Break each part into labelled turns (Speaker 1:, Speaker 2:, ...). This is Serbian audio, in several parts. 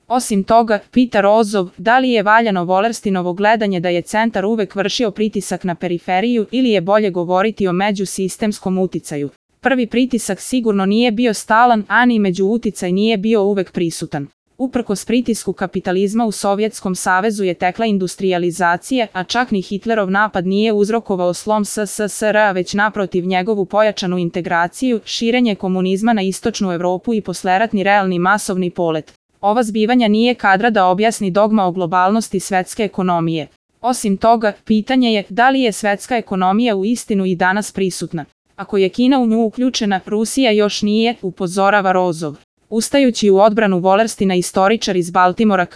Speaker 1: Osim toga, pita Rozov, da li je valjano Wallersteinovo gledanje da je centar uvek vršio pritisak na periferiju ili je bolje govoriti o međusistemskom uticaju. Prvi pritisak sigurno nije bio stalan, a ni međuuticaj nije bio uvek prisutan. Uprkos pritisku kapitalizma u Sovjetskom savezu je tekla industrijalizacija, a čak ni Hitlerov napad nije uzrokovao slom SSSR-a, već naprotiv njegovu pojačanu integraciju, širenje komunizma na istočnu Evropu i posleratni realni masovni polet. Ova zbivanja nije kadra da objasni dogma o globalnosti svetske ekonomije. Osim toga, pitanje je da li je svetska ekonomija u istinu i danas prisutna. Ako je Kina u nju uključena, Rusija još nije, upozorava Rozov. Ustajući u odbranu Wallersteina, istoričar iz Baltimora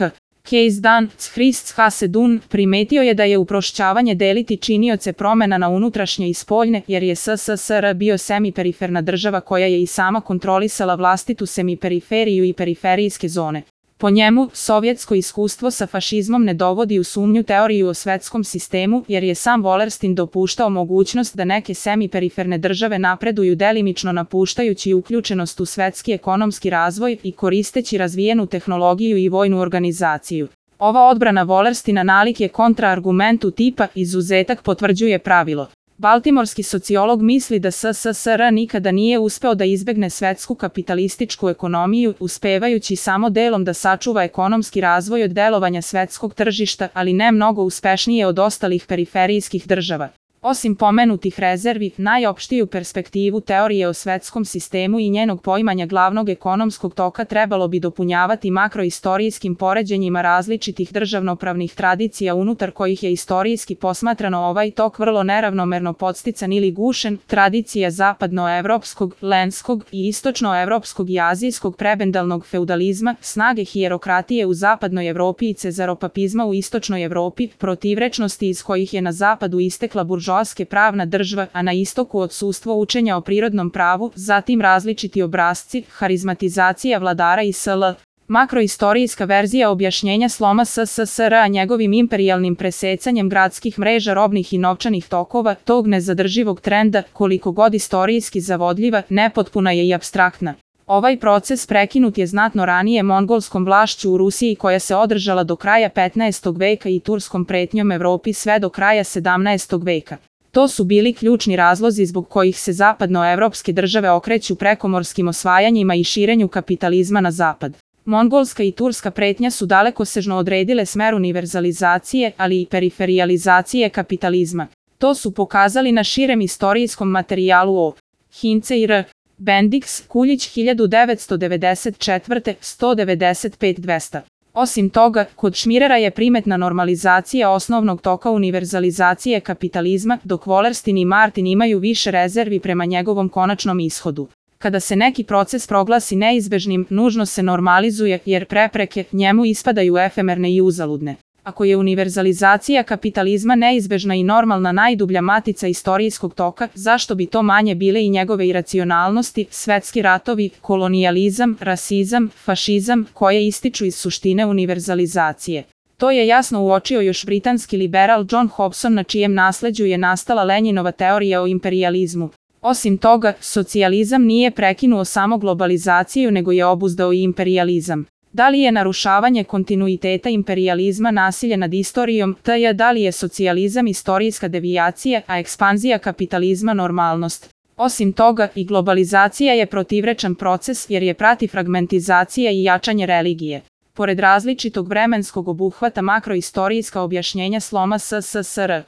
Speaker 1: Case Dan Christ Hasedun primetio je da je uprošćavanje deliti činioce promena na unutrašnje i spoljne, jer je SSSR bio semiperiferna država koja je i sama kontrolisala vlastitu semiperiferiju i periferijske zone. Po njemu, sovjetsko iskustvo sa fašizmom ne dovodi u sumnju teoriju o svetskom sistemu, jer je sam Wallerstein dopuštao mogućnost da neke semiperiferne države napreduju delimično napuštajući uključenost u svetski ekonomski razvoj i koristeći razvijenu tehnologiju i vojnu organizaciju. Ova odbrana Wallersteina nalik je kontraargumentu tipa izuzetak potvrđuje pravilo. Baltimorski sociolog misli da SSSR nikada nije uspeo da izbegne svetsku kapitalističku ekonomiju, uspevajući samo delom da sačuva ekonomski razvoj od delovanja svetskog tržišta, ali ne mnogo uspešnije od ostalih periferijskih država. Osim pomenutih rezervi, najopštiju perspektivu teorije o svetskom sistemu i njenog poimanja glavnog ekonomskog toka trebalo bi dopunjavati makroistorijskim poređenjima različitih državnopravnih tradicija unutar kojih je istorijski posmatrano ovaj tok vrlo neravnomerno podstican ili gušen, tradicija zapadnoevropskog, lenskog i istočnoevropskog i azijskog prebendalnog feudalizma, snage hijerokratije u zapadnoj Evropi i cezaropapizma u istočnoj Evropi, protivrečnosti iz kojih je na zapadu istekla buržoazija pravna država, a na istoku odsustvo učenja o prirodnom pravu, zatim različiti obrasci, harizmatizacija vladara i sl. Makroistorijska verzija objašnjenja sloma SSSR-a njegovim imperijalnim presecanjem gradskih mreža robnih i novčanih tokova, tog nezadrživog trenda, koliko god istorijski zavodljiva, nepotpuna je i apstraktna. Ovaj proces prekinut je znatno ranije mongolskom vlašću u Rusiji koja se održala do kraja 15. veka i turskom pretnjom Evropi sve do kraja 17. veka. To su bili ključni razlozi zbog kojih se zapadnoevropske države okreću prekomorskim osvajanjima i širenju kapitalizma na zapad. Mongolska i turska pretnja su dalekosežno odredile smer univerzalizacije, ali i periferijalizacije kapitalizma. To su pokazali na širem istorijskom materijalu o Hince i R. Bendix, Kuljić 1994. 195-200. Osim toga, kod Schmirera je primetna normalizacija osnovnog toka univerzalizacije kapitalizma, dok Wallerstein i Martin imaju više rezervi prema njegovom konačnom ishodu. Kada se neki proces proglasi neizbežnim, nužno se normalizuje, jer prepreke njemu ispadaju efemerne i uzaludne. Ako je univerzalizacija kapitalizma neizbežna i normalna najdublja matica istorijskog toka, zašto bi to manje bile i njegove iracionalnosti, svetski ratovi, kolonijalizam, rasizam, fašizam, koje ističu iz suštine univerzalizacije? To je jasno uočio još britanski liberal John Hobson, na čijem nasleđu je nastala Lenjinova teorija o imperijalizmu. Osim toga, socijalizam nije prekinuo samo globalizaciju, nego je obuzdao i imperijalizam. Da li je narušavanje kontinuiteta imperijalizma nasilje nad istorijom, da li je socijalizam istorijska devijacija, a ekspanzija kapitalizma normalnost? Osim toga, i globalizacija je protivrečan proces jer je prati fragmentizacija i jačanje religije. Pored različitog vremenskog obuhvata makroistorijska objašnjenja sloma SSSR